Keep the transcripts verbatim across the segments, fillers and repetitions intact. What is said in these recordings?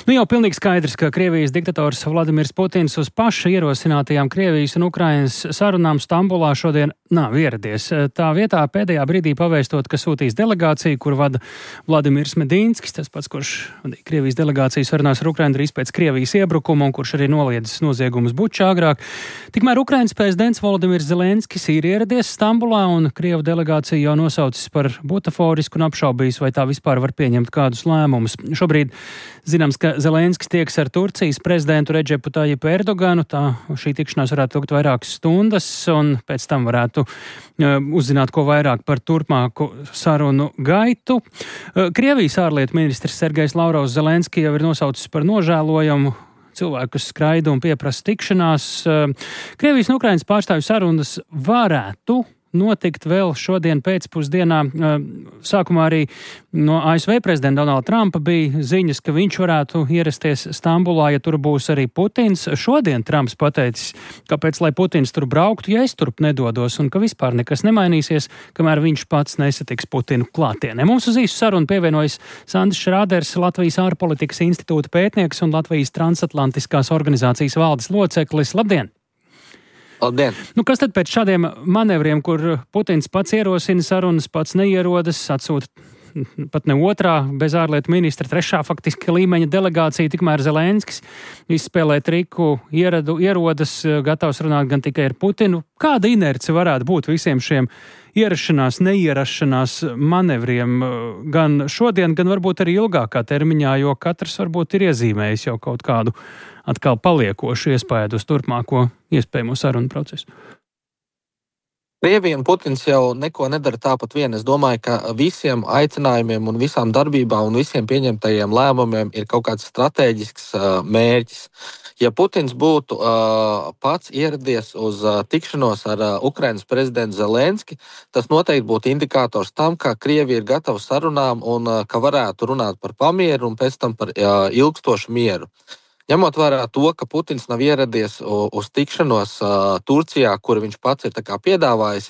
Nu jau pilnīgi skaidrs, ka Krievijas diktators Vladimirs Putins uz paša ierosinātajām Krievijas un Ukrainas sarunām Stambulā šodien nav ieradies. Tā vietā pēdējā brīdī pavēstot, ka sūtīs delegāciju, kur vada Vladimirs Medīnskis, tas pats, kurš vadīja Krievijas delegāciju sarunās ar Ukrainu drīz pēc Krievijas iebrukuma un kurš arī noliedzis noziegumus Bučā agrāk. Tikmēr Ukrainas prezidents Volodimirs Zelenskis ir ieradies Stambulā un Krievu delegāciju jau nosaucis par butaforisku un apšaubījis, vai tā vispār var pieņemt kādus lēmumus. Šobrīd zināms, ka Zelenskis tieks ar Turcijas prezidentu Redžepu Tajipu Erdoganu. Tā šī tikšanās varētu ilgt vairākas stundas, un pēc tam varētu uh, uzzināt, ko vairāk par turpmāku sarunu gaitu. Uh, Krievijas ārlietu ministrs Sergejs Lavrovs Zelenski jau ir nosaucis par nožēlojamu cilvēku, kas skraida un pieprasa tikšanās. Uh, Krievijas un Ukrainas pārstāvju sarunas varētu notikt vēl šodien pēcpusdienā. Sākumā arī no A S V prezidenta Donalda Trumpa bija ziņas, ka viņš varētu ierasties Stambulā, ja tur būs arī Putins. Šodien Trumps pateicis, kāpēc, lai Putins tur brauktu, ja es turp nedodos, un ka vispār nekas nemainīsies, kamēr viņš pats nesatiks Putinu klātienē. Mums uz īsu sarunu pievienojas Sandis Šrāders, Latvijas ārpolitikas institūta pētnieks un Latvijas transatlantiskās organizācijas valdes loceklis. Labdien! Labdien. Nu, kas tad pēc šādiem manevriem, kur Putins pats ierosina sarunas, pats neierodas, atsūta pat ne otrā, bez ārlietu ministra, trešā faktiski līmeņa delegācija, tikmēr Zelenskis izspēlē triku, ieradu, ierodas, gatavs runāt gan tikai ar Putinu. Kāda inerce varētu būt visiem šiem ierašanās, neierašanās manevriem gan šodien, gan varbūt arī ilgākā termiņā, jo katrs varbūt ir iezīmējis jau kaut kādu atkal paliekošu iespēju uz turpmāko iespējamo sarunu procesu? Krievija un Putins jau neko nedara tāpat vien. Es domāju, ka visiem aicinājumiem un visām darbībām un visiem pieņemtajiem lēmumiem ir kaut kāds strateģisks uh, mērķis. Ja Putins būtu uh, pats ieradies uz uh, tikšanos ar uh, Ukrainas prezidentu Zelenski, tas noteikti būtu indikators tam, ka Krievija ir gatava sarunām un uh, ka varētu runāt par pamieru un pēc tam par uh, ilgstošu mieru. Ņemot vērā to, ka Putins nav ieradies uz tikšanos uh, Turcijā, kur viņš pats ir tā kā piedāvājis,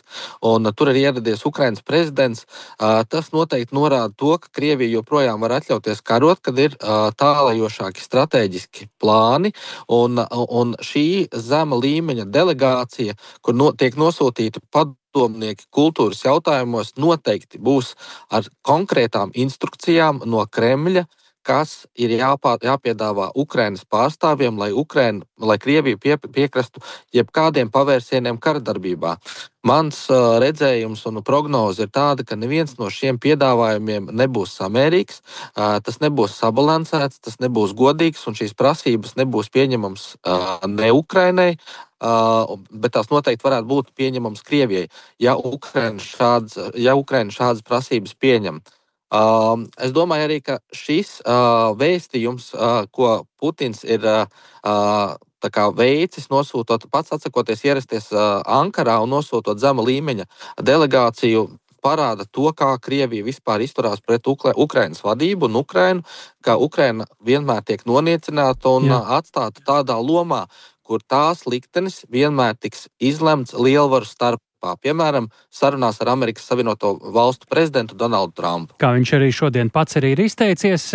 un uh, tur ir ieradies Ukrainas prezidents, uh, tas noteikti norāda to, ka Krievija joprojām var atļauties karot, kad ir uh, tālajošāki strateģiski plāni, un, uh, un šī zema līmeņa delegācija, kur no, tiek nosūtīta padomnieki kultūras jautājumos, noteikti būs ar konkrētām instrukcijām no Kremļa, kas ir jāpā, jāpiedāvā Ukrainas pārstāvjiem, lai, Ukraina, lai Krievija pie, piekrastu jebkādiem pavērsieniem karadarbībā. Mans uh, redzējums un prognoze ir tāda, ka neviens no šiem piedāvājumiem nebūs samērīgs, uh, tas nebūs sabalansēts, tas nebūs godīgs un šīs prasības nebūs pieņemams uh, ne Ukrainai, uh, bet tās noteikti varētu būt pieņemams Krievijai, ja Ukraina šādas, ja Ukraina šādas prasības pieņem. Uh, es domāju arī, ka šis uh, vēstījums, uh, ko Putins ir uh, tā kā veicis, nosūtot, pats atsakoties ierasties uh, Ankarā un nosūtot zema līmeņa delegāciju, parāda to, kā Krievija vispār izturās pret Ukra- Ukrainas vadību un Ukrainu, ka Ukraina vienmēr tiek noniecināta un Jā. atstāta tādā lomā, kur tās liktenis vienmēr tiks izlemts lielvaru starpā. Piemēram, sarunās ar Amerikas Savienoto Valstu prezidentu Donaldu Trumpu. Kā viņš arī šodien pats arī ir izteicies.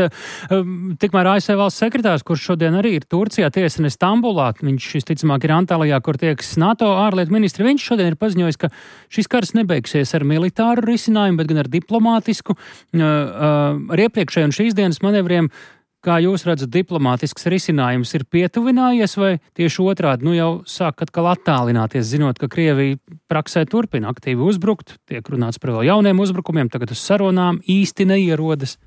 Tikmēr A S V valsts sekretārs, kurš šodien arī ir Turcijā, tiesne Stambulā, viņš visticamāk ir Antālijā, kur tieks NATO ārlietu ministri, viņš šodien ir paziņojis, ka šis karš nebeigsies ar militāru risinājumu, bet gan ar diplomātisku. Ar iepriekšēju un šīs dienas manevriem, kā jūs redzat, diplomātisks risinājums ir pietuvinājies vai tieši otrādi, nu jau sāk atkal attālināties, zinot, ka Krievija praksē turpina aktīvi uzbrukt, tiek runāts par vēl jauniem uzbrukumiem, tagad uz sarunām īsti neierodas?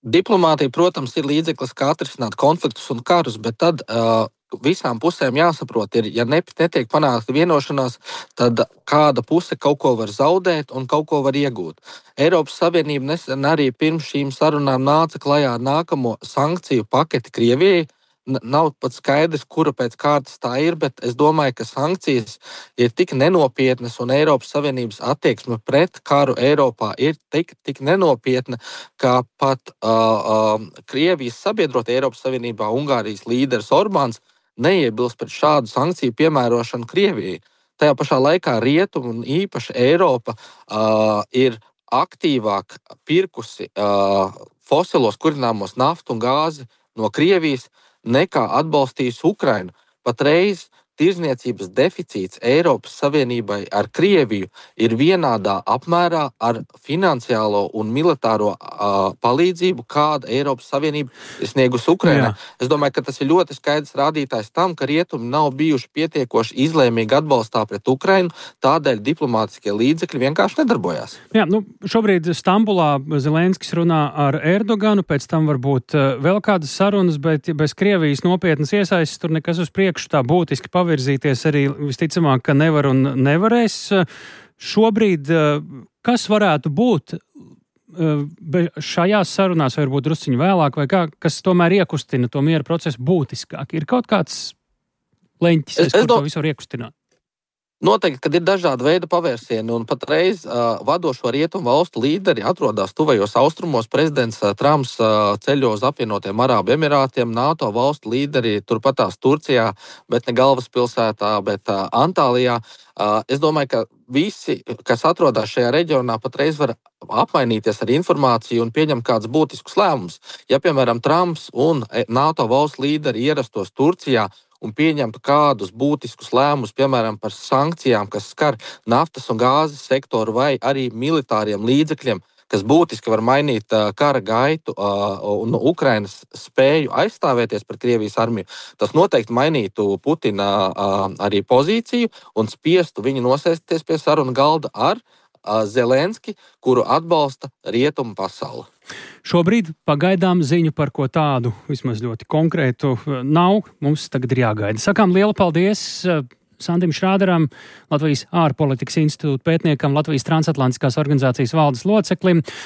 Diplomātija, protams, ir līdzeklis, kā atrisināt konfliktus un karus, bet tad uh, visām pusēm jāsaprot, ir, ja netiek panākta vienošanās, tad kāda puse kaut ko var zaudēt un kaut ko var iegūt. Eiropas Savienība nesen arī pirms šīm sarunām nāca klajā ar nākamo sankciju paketi Krievijai. Nav pat skaidrs, kura pēc kārtas tā ir, bet es domāju, ka sankcijas ir tik nenopietnas un Eiropas Savienības attieksme pret karu Eiropā ir tik, tik nenopietna, ka pat uh, uh, Krievijas sabiedrotie Eiropas Savienībā Ungārijas līderis Orbāns neiebilst pret šādu sankciju piemērošanu Krievijai. Tajā pašā laikā Rietumi un īpaši Eiropa uh, ir aktīvāk pirkusi uh, fosilos kurināmos naftu un gāzi no Krievijas nekā atbalstījusi Ukrainu. Patreiz tirzniecības deficīts Eiropas Savienībai ar Krieviju ir vienādā apmērā ar finansiālo un militāro uh, palīdzību, kāda Eiropas Savienība ir sniegusi Ukrainai. Es domāju, ka tas ir ļoti skaidrs rādītājs tam, ka rietumi nav bijuši pietiekoši izlēmīgi atbalstā pret Ukrainu, tādēļ diplomātiskie līdzekļi vienkārši nedarbojās. Jā, nu, šobrīd Stambulā Zelenskis runā ar Erdoganu, pēc tam varbūt vēl kādas sarunas, bet bez Krievijas nopietnas iesaistes tur nekas uz priekšu tā būtiski pavirzīties arī visticamāk, ka nevar un nevarēs. Šobrīd, kas varētu būt šajās sarunās, vai varbūt drusciņi vēlāk, vai kā, kas tomēr iekustina to miera procesu būtiskāk? Ir kaut kāds leņķis, es, kur do... to visu var iekustināt? Noteikti, kad ir dažādi veidi pavērsieni, un patreiz uh, vadošo rietumu valstu līderi atrodas tuvajos austrumos. Prezidents uh, Trumps uh, ceļo uz apvienotiem Arābu Emirātiem, NATO valstu līderi turpatās Turcijā, bet ne galvaspilsētā, bet uh, Antālijā. Uh, es domāju, ka visi, kas atrodas šajā reģionā, patreiz var apmainīties ar informāciju un pieņemt kādus būtiskus lēmumus. Ja, piemēram, Trumps un NATO valstu līderi ierastos Turcijā un pieņemtu kādus būtiskus lēmumus, piemēram, par sankcijām, kas skar naftas un gāzes sektoru vai arī militāriem līdzekļiem, kas būtiski var mainīt uh, kara gaitu uh, un Ukrainas spēju aizstāvēties pret Krievijas armiju, tas noteikti mainītu Putina uh, arī pozīciju un spiestu viņu nosēsties pie sarunu galda ar uh, Zelenski, kuru atbalsta rietumu pasauli. Šobrīd pagaidām ziņu par ko tādu, vismaz ļoti konkrētu, nav. Mums tagad ir jāgaida. Sakām lielu paldies Sandim Šrāderam, Latvijas ārpolitikas institūta pētniekam, Latvijas transatlantiskās organizācijas valdes loceklim.